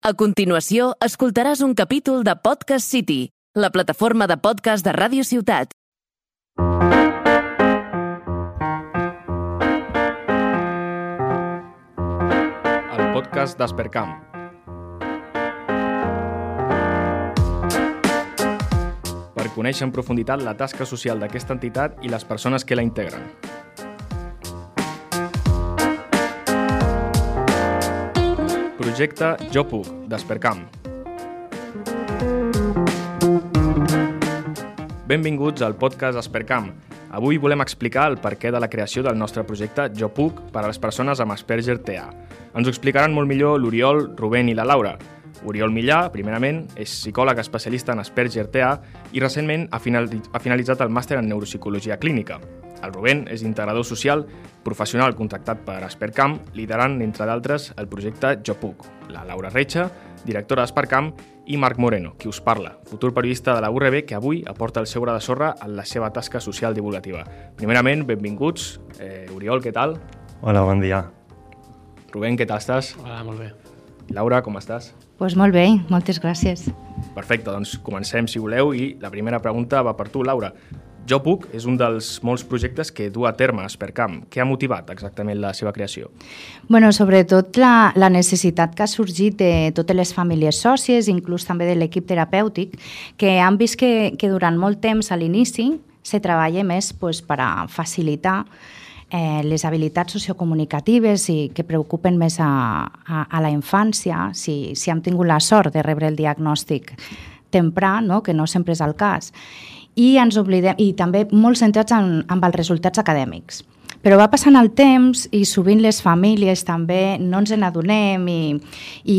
A continuació, escoltaràs un capítol de Podcast City, la plataforma de podcast de Ràdio Ciutat. El podcast d'Aspercam. Per conèixer en profunditat la tasca social d'aquesta entitat i les persones que la integren. Projecte Jo Puc, d'Aspercam. Benvinguts al podcast Aspercam. Avui volem explicar el perquè de la creació del nostre projecte Jo Puc per a les persones amb Asperger TEA. Ens ho explicaran molt millor l'Oriol, Rubén i la Laura. Oriol Millà, primerament, és psicòleg especialista en Asperger TEA i recentment ha finalitzat el màster en neuropsicologia clínica. El Rubén és integrador social, professional contractat per Aspercam, liderant, entre d'altres, el projecte Jo Puc. La Laura Reixa, directora d'Aspercam, i Marc Moreno, qui us parla, futur periodista de la URB que avui aporta el seu gra de sorra en la seva tasca social divulgativa. Primerament, benvinguts. Oriol, què tal? Hola, bon dia. Rubén, què tal estàs? Hola, molt bé. Laura, com estàs? Doncs molt bé, moltes gràcies. Perfecte, doncs comencem si voleu i la primera pregunta va per tu, Laura. Jo Puc és un dels molts projectes que du a terme Aspercam. Què ha motivat exactament la seva creació? Bueno, sobretot la necessitat que ha sorgit de totes les famílies sòcies, inclús també de l'equip terapèutic, que han vist que durant molt temps a l'inici se treballa més per a facilitar les habilitats sociocomunicatives i que preocupen més a la infància, si hem tingut la sort de rebre el diagnòstic temprà, no? Que no sempre és el cas. I ens oblidem, i també molt centrats en els resultats acadèmics. Però va passant el temps i sovint les famílies també no ens n'adonem i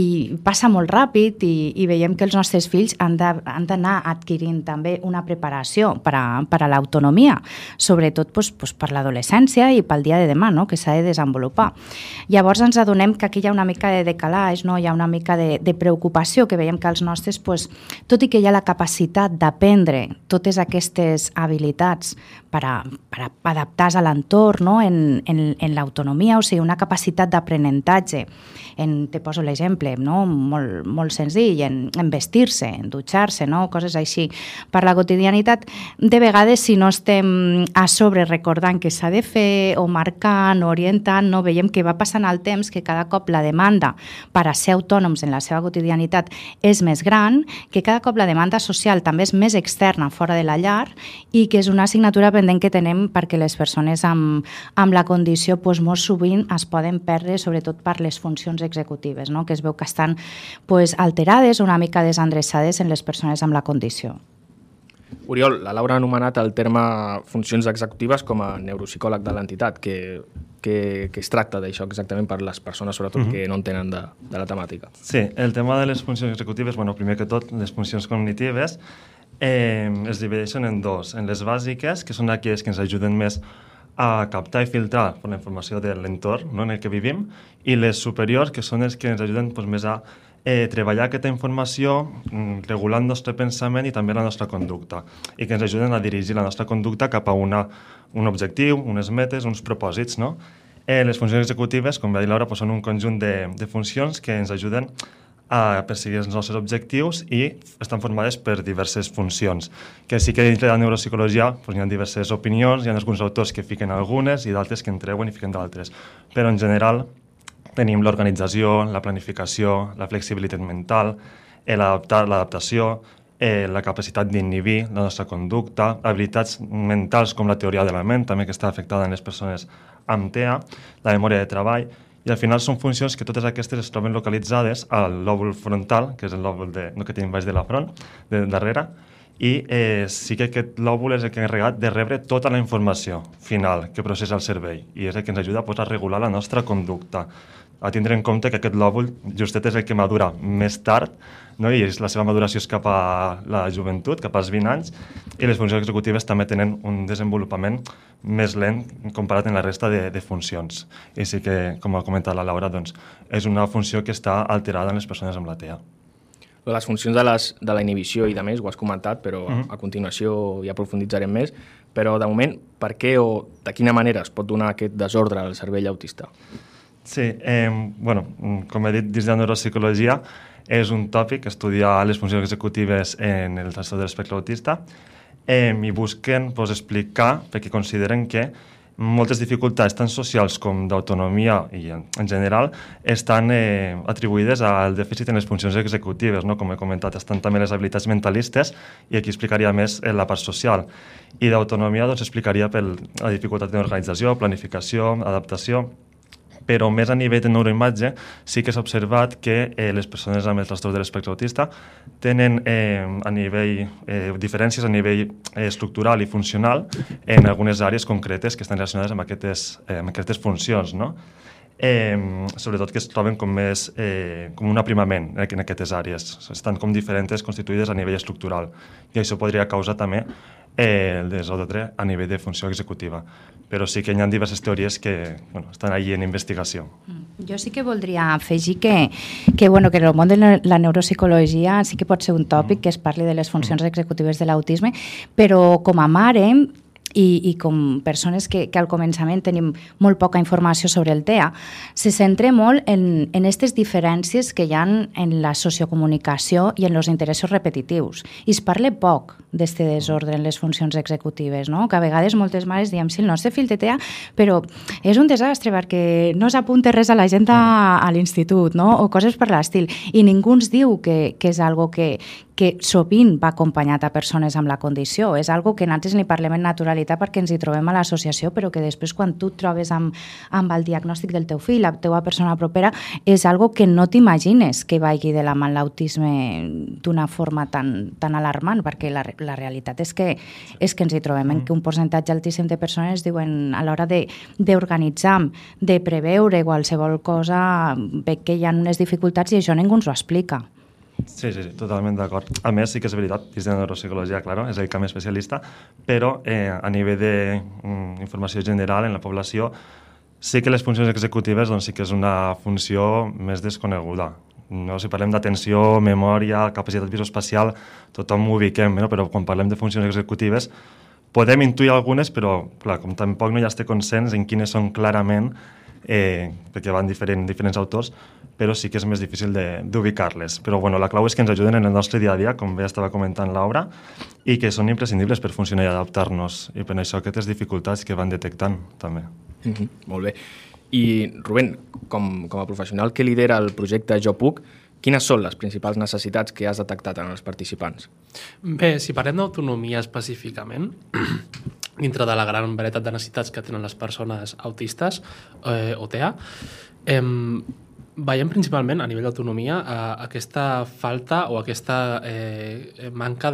passa molt ràpid i veiem que els nostres fills han d'anar adquirint també una preparació per a l'autonomia, sobretot per l'adolescència i pel dia de demà, no? Que s'ha de desenvolupar. Llavors ens adonem que aquí hi ha una mica de decalaix, no? Hi ha una mica de preocupació, que veiem que els nostres, tot i que hi ha la capacitat d'aprendre totes aquestes habilitats per adaptar-se a l'entorn, no? En l'autonomia, o sigui, una capacitat d'aprenentatge. Te poso l'exemple, no? Molt senzill, en vestir-se, en dutxar-se, no? Coses així. Per la quotidianitat, de vegades, si no estem a sobre recordant que s'ha de fer o marcant o orientant, no? Veiem que va passant el temps, que cada cop la demanda per a ser autònoms en la seva quotidianitat és més gran, que cada cop la demanda social també és més externa, fora de la llar, i que és una assignatura pendent que tenem perquè les persones amb la condició molt sovint es poden perdre, sobretot per les funcions executives, no? Que es veu que estan alterades o una mica desendreçades en les persones amb la condició. Oriol, la Laura ha anomenat el terme funcions executives com a neuropsicòleg de l'entitat. Que es tracta d'això exactament per les persones, sobretot, que no entenen de la temàtica? Sí, el tema de les funcions executives, primer que tot, les funcions cognitives es divideixen en dos. En les bàsiques, que són aquelles que ens ajuden més a captar i filtrar la informació de l'entorn, no, en el que vivim, i les superiors, que són les que ens ajuden més a treballar aquesta informació, regular el nostre pensament i també la nostra conducta, i que ens ajuden a dirigir la nostra conducta cap a un objectiu, unes metes, uns propòsits, no? Les funcions executives, com va dir Laura, són un conjunt de funcions que ens ajuden a perseguir els nostres objectius i estan formades per diverses funcions, que sí que dintre de la neuropsicologia hi ha diverses opinions, hi ha alguns autors que fiquen algunes i d'altres que en treuen i fiquen d'altres, però en general tenim l'organització, la planificació, la flexibilitat mental, l'adaptació, la capacitat d'inhibir la nostra conducta, habilitats mentals com la teoria de la ment, també que està afectada en les persones amb TEA, la memòria de treball. I al final són funcions que totes aquestes es troben localitzades al lòbul frontal, que és el lòbul que tenim baix de la front, de darrere, i sí que aquest lòbul és el que és encarregat de rebre tota la informació final que processa el cervell i és el que ens ajuda a regular la nostra conducta. A tindre en compte que aquest lòbul justet és el que madura més tard, no? I la seva maduració és cap a la joventut, cap als 20 anys, i les funcions executives també tenen un desenvolupament més lent comparat amb la resta de funcions. I sí que, com ha comentat la Laura, és una funció que està alterada en les persones amb la TEA. Les funcions de la inhibició i de més, ho has comentat, però a continuació hi aprofunditzarem més. Però, de moment, per què o de quina manera es pot donar aquest desordre al cervell autista? Sí, com he dit, dins de la neuropsicologia és un tòpic estudiar les funcions executives en el trastorn de l'espectre autista i busquen explicar, perquè consideren que moltes dificultats tant socials com d'autonomia i en general estan atribuïdes al dèficit en les funcions executives, no? Com he comentat, estan també les habilitats mentalistes i aquí explicaria més la part social. I d'autonomia explicaria per la dificultat d'organització, planificació, adaptació, però més a nivell de neuroimatge sí que s'ha observat que les persones amb el trastorn de l'espectre autista tenen diferències a nivell estructural i funcional en algunes àrees concretes que estan relacionades amb aquestes funcions, no? Sobretot que es troben com un aprimament en aquestes àrees. Estan com diferents, constituïdes a nivell estructural i això podria causar també el desordre a nivell de funció executiva. Però sí que hi ha diverses teories que estan allí en investigació. Jo sí que voldria afegir que en el món de la neuropsicologia sí que pot ser un tòpic que es parli de les funcions executives de l'autisme, però com a mare i com persones que al començament tenim molt poca informació sobre el TEA, se centra molt en aquestes diferències que hi ha en la sociocomunicació i en els interessos repetitius. I es parla poc d'aquest desordre en les funcions executives, no? Que a vegades moltes mares diem, sí, el nostre fill té TEA, però és un desastre perquè no s'apunta res a l'agenda a l'institut, no? O coses per l'estil. I ningú ens diu que és algo que sovint va acompanyat a persones amb la condició. És algo que nosaltres li parlem en naturalitat perquè ens hi trobem a l'associació, però que després quan tu et trobes amb el diagnòstic del teu fill, la teva persona propera, és algo que no t'imagines que vagi de la mà l'autisme d'una forma tan alarmant, perquè la realitat és que ens hi trobem en que un percentatge altíssim de persones diuen a l'hora d'organitzar, de preveure qualsevol cosa, ve que hi ha unes dificultats i això ningú ens ho explica. Sí, totalment d'acord. A més, sí que és veritat, dins de la neuropsicologia, claro, és el camp especialista, però a nivell d'informació general en la població sí que les funcions executives sí que és una funció més desconeguda. No? Si parlem d'atenció, memòria, capacitat visoespacial, tothom ho ubiquem, no? Però quan parlem de funcions executives podem intuir algunes, però clar, com tampoc no hi ha este consens en quines són clarament, perquè van diferents autors, però sí que és més difícil d'ubicar-les. Però la clau és que ens ajuden en el nostre dia a dia, com bé estava comentant Laura, i que són imprescindibles per funcionar i adaptar-nos, i per això aquestes dificultats que van detectant també. Molt bé. I Rubén, com a professional que lidera el projecte Jo Puc, quines són les principals necessitats que has detectat en els participants? Bé, si parlem d'autonomia específicament, dintre de la gran varietat de necessitats que tenen les persones autistes o TEA, veiem principalment a nivell d'autonomia aquesta falta o aquesta manca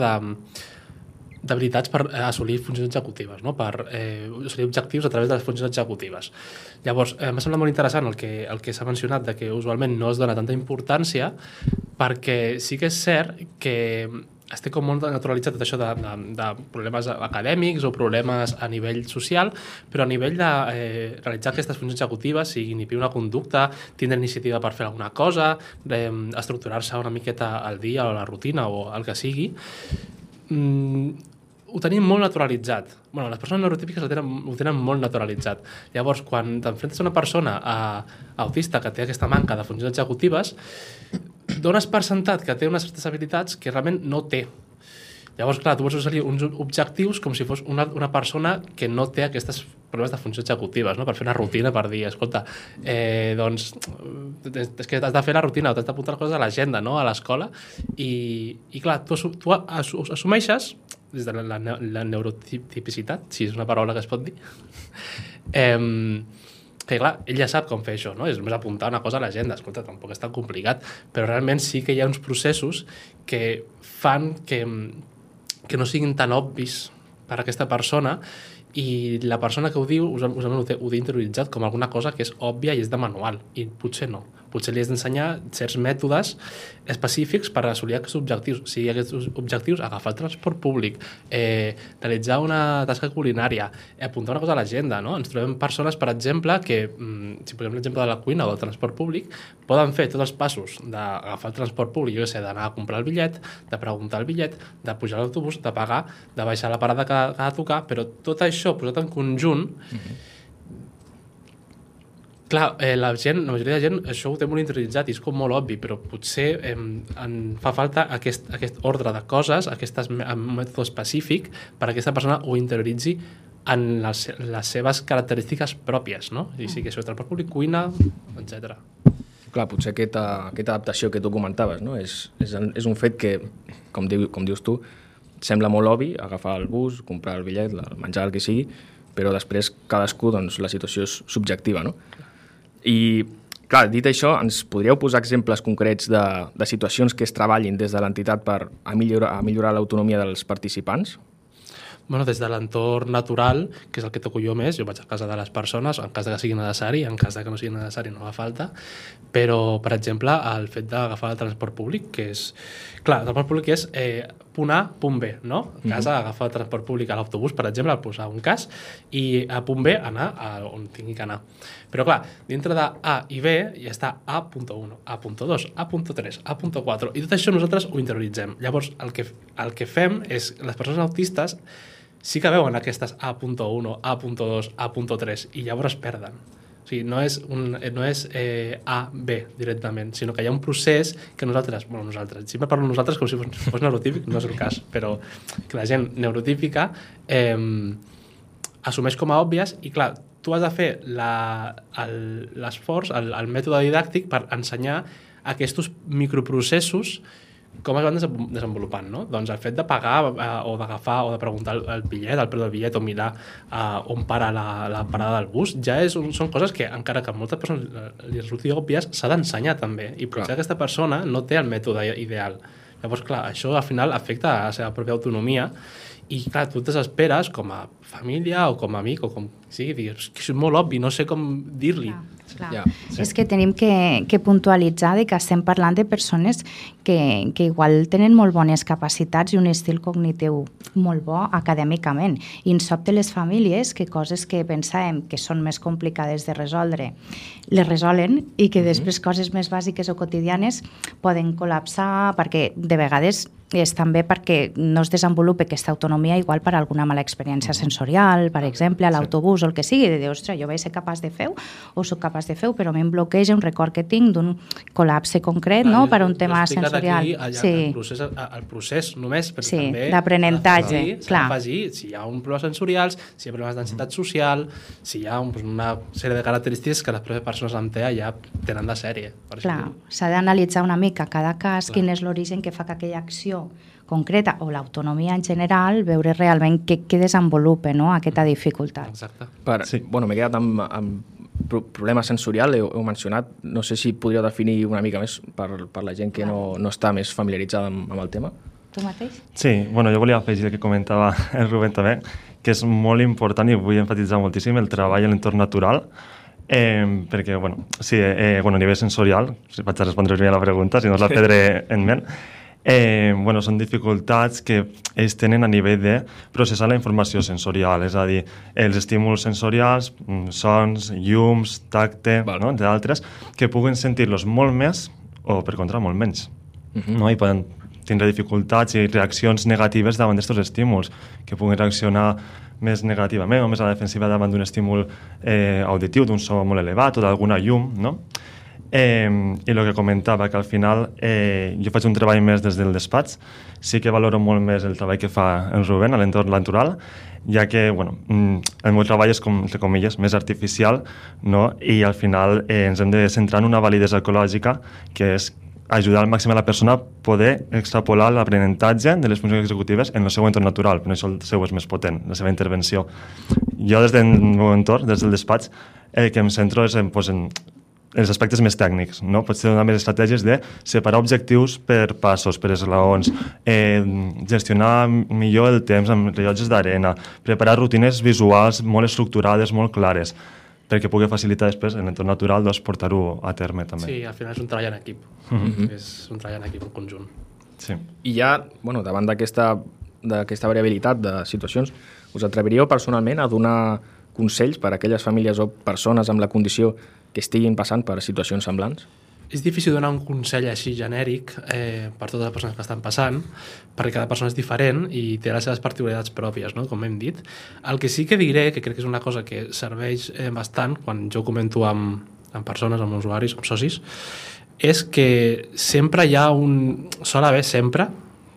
d'habilitats per assolir funcions executives, no? Per assolir objectius a través de les funcions executives. Llavors, m'ha semblat molt interessant el que s'ha mencionat de que usualment no es dona tanta importància, perquè sí que és cert que es té com molt naturalitzat tot això de problemes acadèmics o problemes a nivell social, però a nivell de realitzar aquestes funcions executives, sigui inhibir una conducta, tindre iniciativa per fer alguna cosa, estructurar-se una miqueta al dia o a la rutina o el que sigui, ho tenim molt naturalitzat. Les persones neurotípiques ho tenen molt naturalitzat. Llavors, quan t'enfrentes a una persona autista que té aquesta manca de funcions executives, dones per sentat que té unes certes habilitats que realment no té. Llavors, clar, tu vols assolir uns objectius com si fos una persona que no té aquests problemes de funcions executives, no? Per fer una rutina, per dir, escolta, doncs, és que has de fer la rutina o t'has d'apuntar les coses a l'agenda, no? A l'escola, i clar, tu assumeixes, des de la neurotipicitat, si és una paraula que es pot dir, que clar, ell ja sap com fer això, no? És només apuntar una cosa a l'agenda, escolta, tampoc és tan complicat, però realment sí que hi ha uns processos que fan que no siguin tan obvis per a aquesta persona, i la persona que ho diu usualment ho té interioritzat com alguna cosa que és òbvia i és de manual, i potser no. Potser li has d'ensenyar certs mètodes específics per assolir aquests objectius. Si aquests objectius, agafar el transport públic, realitzar una tasca culinària, apuntar una cosa a l'agenda, no? Ens trobem persones, per exemple, que, si posem l'exemple de la cuina o del transport públic, poden fer tots els passos d'agafar el transport públic, jo sé, d'anar a comprar el bitllet, de preguntar el bitllet, de pujar a l'autobús, de pagar, de baixar a la parada que ha de tocar, però tot això posat en conjunt Clar, la majoria de gent això ho té molt interioritzat i és com molt obvi, però potser en fa falta aquest ordre de coses, un mètode específic per a aquesta persona ho interioritzi en les seves característiques pròpies, no? I sí que això és transport públic, cuina, etc. Clar, potser aquesta adaptació que tu comentaves, no? És un fet que, com dius tu, sembla molt obvi, agafar el bus, comprar el bitllet, el menjar, el que sigui, però després cadascú, doncs, la situació és subjectiva, no? I, clar, dit això, ens podríeu posar exemples concrets de situacions que es treballin des de l'entitat per a millorar l'autonomia dels participants? Bueno, des de l'entorn natural, que és el que toco jo més, jo vaig a casa de les persones, en cas que sigui necessari, en cas que no sigui necessari no fa falta, però, per exemple, el fet d'agafar el transport públic, que és... Clar, el transport públic és punt A, punt B, no? A casa, agafar el transport públic a l'autobús, per exemple, posar un cas, i a punt B anar on tingui que anar. Però, clar, dintre de A i B ja està A.1, A.2, A.3, A.4, i tot això nosaltres ho interioritzem. Llavors, el que fem és, les persones autistes sí que veuen aquestes A.1, A.2, A.3 i llavors es perden. O sigui, no és A, B directament, sinó que hi ha un procés que nosaltres, sempre parlo nosaltres com si fos neurotípic, no és el cas, però que la gent neurotípica assumeix com a òbvies i clar, tu has de fer l'esforç, el mètode didàctic per ensenyar aquests microprocessos com es van desenvolupant, no? Doncs el fet de pagar o d'agafar o de preguntar el bitllet, el preu del bitllet o mirar on para la parada del bus, ja són coses que encara que a moltes persones li resulti òbvies, s'ha d'ensenyar també i potser aquesta persona no té el mètode ideal. Llavors, clar, això al final afecta a la seva pròpia autonomia i, clar, tu et desesperes com a família o com a amic o com sigui, digues, que és molt obvi, no sé com dir-li. Clar. Ja, sí. És que tenim que puntualitzar que estem parlant de persones que igual tenen molt bones capacitats i un estil cognitiu molt bo acadèmicament. I ens sobte les famílies que coses que pensàvem que són més complicades de resoldre les resolen i que després coses més bàsiques o quotidianes poden col·lapsar perquè de vegades és també perquè no es desenvolupa aquesta autonomia igual per alguna mala experiència sensorial, per exemple, a l'autobús o el que sigui, de dir, ostres, jo vaig ser capaç de fer-ho o soc capaç de fer-ho, però a mi em bloqueja un record que tinc d'un col·lapse concret, no?, per un tema sensorial. El procés només, però també d'aprenentatge, clar. Afegir si hi ha un problema sensorials, si hi ha problemes d'ansietat social, si hi ha una sèrie de característiques que les proves persones amb TEA ja tenen de sèrie. Clar, s'ha d'analitzar una mica cada cas, quin és l'origen que fa que aquella acció concreta o l'autonomia en general, veure realment què desenvolupa, no?, aquesta dificultat. Exacte. Bueno, m'he quedat amb problema sensorial, heu mencionat, no sé si podríeu definir una mica més per la gent que no està més familiaritzada amb el tema. Tu mateix? Sí, bueno, jo volia afegir el que comentava el Rubén també, que és molt important i vull enfatitzar moltíssim el treball en l'entorn natural, perquè, bueno, sí, a nivell sensorial, si vaig a respondre bé a la pregunta, si no us la prendré en ment, són dificultats que ells tenen a nivell de processar la informació sensorial, és a dir, els estímuls sensorials, sons, llums, tacte, entre altres, que puguen sentir-los molt més o, per contra, molt menys. No? I poden tindre dificultats i reaccions negatives davant d'aquests estímuls, que puguen reaccionar més negativament o més a la defensiva davant d'un estímul auditiu, d'un so molt elevat o d'alguna llum, no? I el que comentava, que al final jo faig un treball més des del despatx, sí que valoro molt més el treball que fa en Rubén a l'entorn natural, ja que el meu treball és, com, entre comilles, més artificial, no? I al final ens hem de centrar en una validesa ecològica, que és ajudar al màxim a la persona a poder extrapolar l'aprenentatge de les funcions executives en el seu entorn natural, però això el seu és més potent, la seva intervenció. Jo des del meu entorn, des del despatx, el que em centro és en els aspectes més tècnics, no? Potser donar més estratègies de separar objectius per passos, per esglaons, gestionar millor el temps amb rellotges d'arena, preparar rutines visuals molt estructurades, molt clares, perquè pugui facilitar després en l'entorn natural portar-ho a terme també. Sí, al final és un treball en equip, és un treball en equip en conjunt. Sí. I ja, davant d'aquesta variabilitat de situacions, us atreviríeu personalment a donar consells per a aquelles famílies o persones amb la condició que estiguin passant per situacions semblants? És difícil donar un consell així genèric per totes les persones que estan passant, perquè cada persona és diferent i té les seves particularitats pròpies, no? Com hem dit. El que sí que diré, que crec que és una cosa que serveix bastant quan jo comento amb amb persones, amb usuaris, amb socis, és que sempre hi ha sol haver sempre,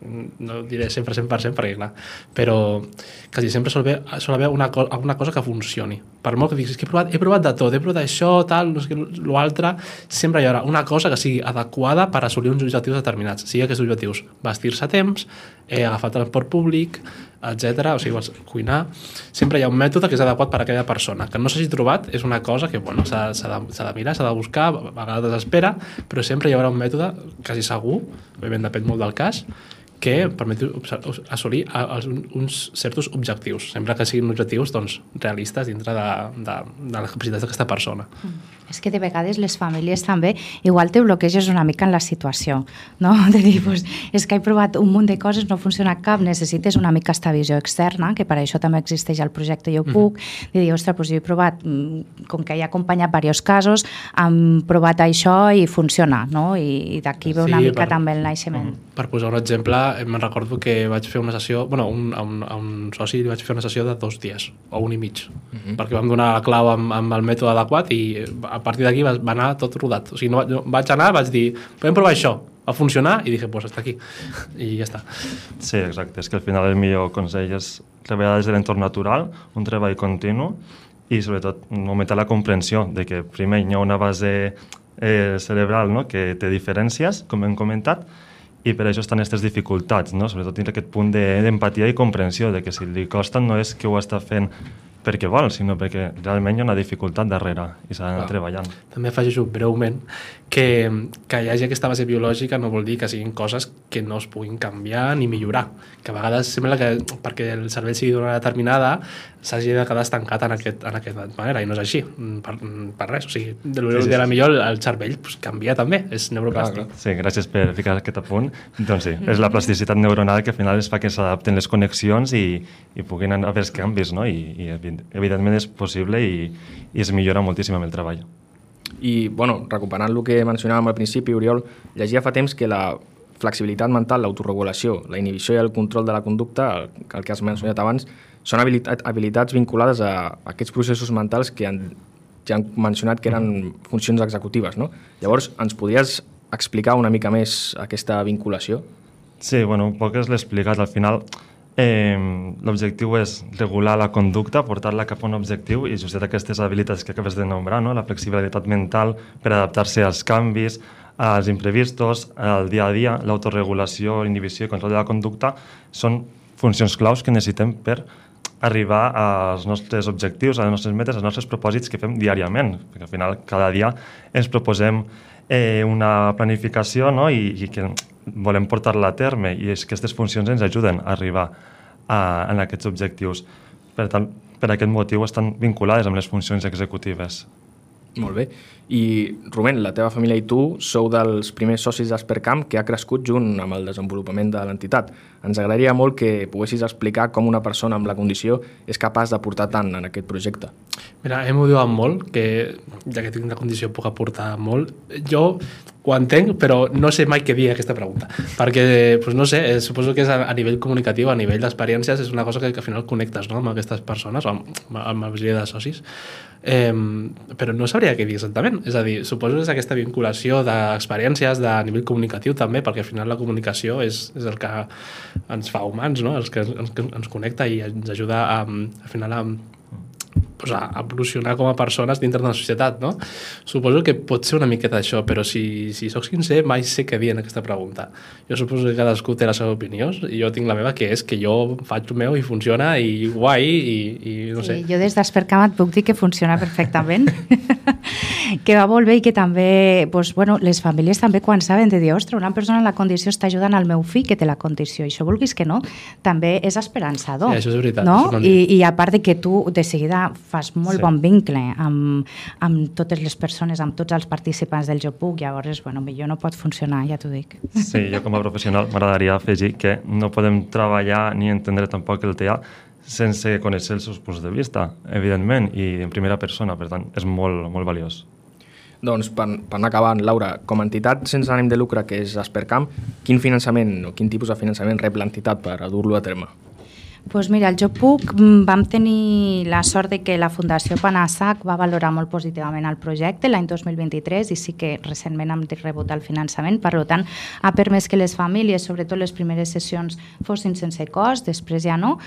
no diré sempre 100% perquè clar, però quasi sempre sol haver alguna cosa que funcioni. Per molt que diguis que he provat de tot, he provat això, tal, no sé què, l'altre, sempre hi haurà una cosa que sigui adequada per assolir uns objectius determinats. Sigui aquests objectius, vestir-se a temps, agafar transport públic, etc. O sigui, cuinar. Sempre hi ha un mètode que és adequat per a aquella persona. Que no s'hagi trobat és una cosa que bueno, s'ha de mirar, s'ha de buscar, a vegades desespera, però sempre hi haurà un mètode, quasi segur, òbviament depèn molt del cas, que permeti assolir uns certs objectius, sempre que siguin objectius doncs, realistes dintre de les capacitats d'aquesta persona. És que de vegades les famílies també igual te bloqueges una mica en la situació, no? De dir, pues, és que he provat un munt de coses, no funciona cap, necessites una mica esta visió externa, que per això també existeix el projecte Jo Puc, de dir, ostres, pues jo he provat, com que he acompanyat diversos casos, hem provat això i funciona, no? I d'aquí ve una mica també el naixement. Per posar un exemple, me'n recordo que vaig fer una sessió, bueno, a un soci li vaig fer una sessió de 2 dies, o 1 i mig, perquè vam donar la clau amb el mètode adequat i a partir d'aquí va anar tot rodat. O sigui, no vaig anar, vaig dir, podem provar això, va funcionar, i dije, pues hasta aquí, i ja està. Sí, exacte, és que al final el millor consell és treballar des de l'entorn natural, un treball continu, i sobretot augmentar la comprensió de que primer hi ha una base cerebral, no?, que té diferències, com hem comentat, i per això estan aquestes dificultats, no? Sobretot tindre aquest punt d'empatia i comprensió, de que si li costa no és que ho està fent perquè vol, sinó perquè realment hi ha una dificultat darrere i s'ha d'anar treballant. També afegeixo breument que hi hagi aquesta base biològica no vol dir que siguin coses que no es puguin canviar ni millorar, que a vegades sembla que perquè el cervell sigui d'una determinada s'hagi de quedar estancat en aquesta manera, i no és així, per res. O sigui, de la millor el cervell canvia també, és neuroplàstic. Sí, gràcies per ficar aquest apunt. Doncs sí, és la plasticitat neuronal que al final es fa que s'adapten les connexions i puguin haver els canvis, no? I evidentment és possible i es millora moltíssim amb el treball. I, bueno, recuperant el que mencionàvem al principi, Oriol, llegia fa temps que la flexibilitat mental, l'autoregulació, la inhibició i el control de la conducta, el que has mencionat abans, són habilitats vinculades a aquests processos mentals que ja han mencionat que eren funcions executives, no? Llavors, ens podries explicar una mica més aquesta vinculació? Sí, bueno, un poc l'he explicat. Al final, l'objectiu és regular la conducta, portar-la cap a un objectiu i just aquestes habilitats que acabes de nombrar, no? La flexibilitat mental per adaptar-se als canvis, als imprevistos, al dia a dia, l'autoregulació, inhibició i control de la conducta són funcions claus que necessitem per arribar als nostres objectius, a les nostres metes, als nostres propòsits que fem diàriament, perquè al final cada dia ens proposem una planificació, no? I que volem portar-la a terme, i és que aquestes funcions ens ajuden a arribar a aquests objectius. Per tant, per aquest motiu estan vinculades amb les funcions executives. Molt bé. I, Rubén, la teva família i tu sou dels primers socis d'Aspercam que ha crescut junt amb el desenvolupament de l'entitat. Ens agradaria molt que poguessis explicar com una persona amb la condició és capaç d'aportar tant en aquest projecte. Mira, m'ho diuen molt, que ja que tinc la condició puc aportar molt. Jo ho entenc, però no sé mai què dir aquesta pregunta, perquè, doncs no sé, suposo que és a nivell comunicatiu, a nivell d'experiències, és una cosa que al final connectes, no?, amb aquestes persones, o amb la majoria de socis, però no sabria què dir exactament. És a dir, suposo que és aquesta vinculació d'experiències de nivell comunicatiu també, perquè al final la comunicació és el que ens fa humans, no?, el que ens connecta i ens ajuda al final a evolucionar com a persones dintre de la societat, no? Suposo que pot ser una miqueta això, però si soc sincer, mai sé què dir en aquesta pregunta. Jo suposo que cadascú té la seva opinió, i jo tinc la meva, que és que jo faig el meu i funciona, i guai, i no sé. Sí, jo des d'Aspercam et puc dir que funciona perfectament, que va molt bé, i que també, doncs, bueno, les famílies també quan saben de dir, ostres, una persona en la condició està ajudant al meu fill que té la condició, i això vulguis que no, també és esperançador. Sí, això és veritat. No? I a part de que tu de seguida fas molt bon vincle amb totes les persones, amb tots els participants del Jo Puc, llavors, bueno, millor no pot funcionar, ja t'ho dic. Sí, jo com a professional m'agradaria afegir que no podem treballar ni entendre tampoc el TEA sense conèixer els seus punts de vista, evidentment, i en primera persona, per tant, és molt, molt valiós. Doncs, per anar acabant, Laura, com a entitat sense ànim de lucre que és Aspercam, quin finançament o quin tipus de finançament rep l'entitat per dur-lo a terme? Doncs mira, el Jo Puc vam tenir la sort de que la Fundació Panassac va valorar molt positivament el projecte l'any 2023 i sí que recentment hem rebut el finançament, per tant ha permès que les famílies, sobretot les primeres sessions, fossin sense cost, després ja no,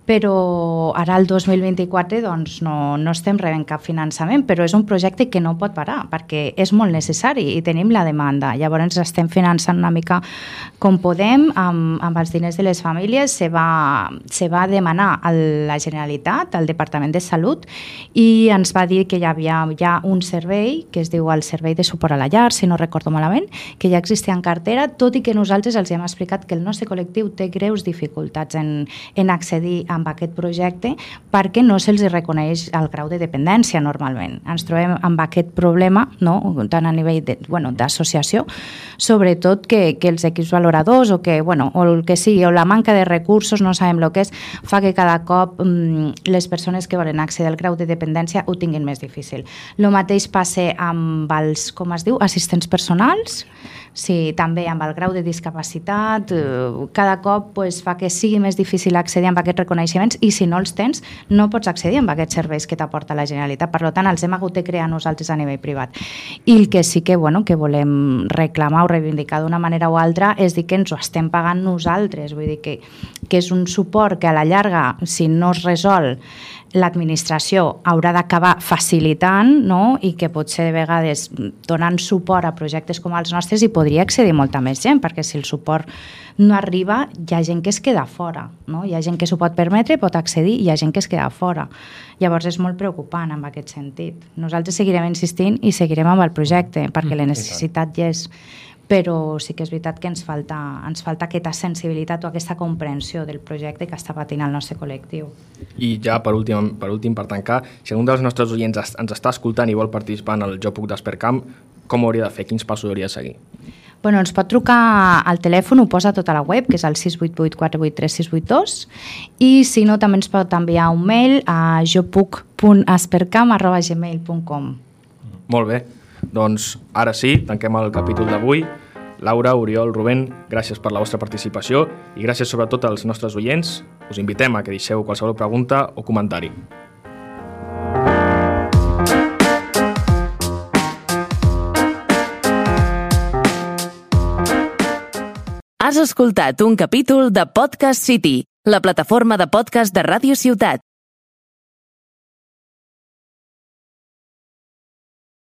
però ara el 2024 doncs, no estem rebent cap finançament, però és un projecte que no pot parar perquè és molt necessari i tenim la demanda. Llavors estem finançant una mica com podem, amb els diners de les famílies. Se va demanar a la Generalitat, al Departament de Salut, i ens va dir que hi havia ja un servei que es diu el Servei de Suport a la Llar, si no recordo malament, que ja existia en cartera, tot i que nosaltres els hem explicat que el nostre col·lectiu té greus dificultats en accedir a aquest projecte perquè no se'ls reconeix el grau de dependència normalment. Ens trobem amb aquest problema, no? Tant a nivell d'associació, sobretot que els equips valoradors o el que sigui, o la manca de recursos, no sabem el que és, fa que cada cop les persones que volen accedir al grau de dependència ho tinguin més difícil. El mateix passa amb els, com es diu, assistents personals, sí, també amb el grau de discapacitat, cada cop fa que sigui més difícil accedir a aquests reconeixements i si no els tens no pots accedir a aquests serveis que t'aporta la Generalitat. Per tant, els hem hagut de crear nosaltres a nivell privat. I el que sí que volem reclamar o reivindicar d'una manera o altra és dir que ens ho estem pagant nosaltres, vull dir que és un suport que a la llarga, si no es resol, l'administració haurà d'acabar facilitant, no? I que potser de vegades donant suport a projectes com els nostres hi podria accedir molta més gent, perquè si el suport no arriba, hi ha gent que es queda fora, no? Hi ha gent que s'ho pot permetre, pot accedir, i hi ha gent que es queda fora. Llavors és molt preocupant en aquest sentit. Nosaltres seguirem insistint i seguirem amb el projecte, perquè la necessitat ja és... Però sí que és veritat que ens falta aquesta sensibilitat o aquesta comprensió del projecte que està patint el nostre col·lectiu. I ja per últim, per tancar, si algun dels nostres oients ens està escoltant i vol participar en el Jo Puc d'Espercam, com ho hauria de fer? Quins passos hauria de seguir? Ens pot trucar al telèfon, ho posa tot a la web, que és el 688-483-682, i si no també ens pot enviar un mail a jopuc.espercam@gmail.com. Molt bé, doncs ara sí, tanquem el capítol d'avui. Laura, Oriol, Rubén, gràcies per la vostra participació i gràcies sobretot als nostres oients. Us invitem a que deixeu qualsevol pregunta o comentari. Has escoltat un capítol de Podcast City, la plataforma de podcast de Ràdio Ciutat.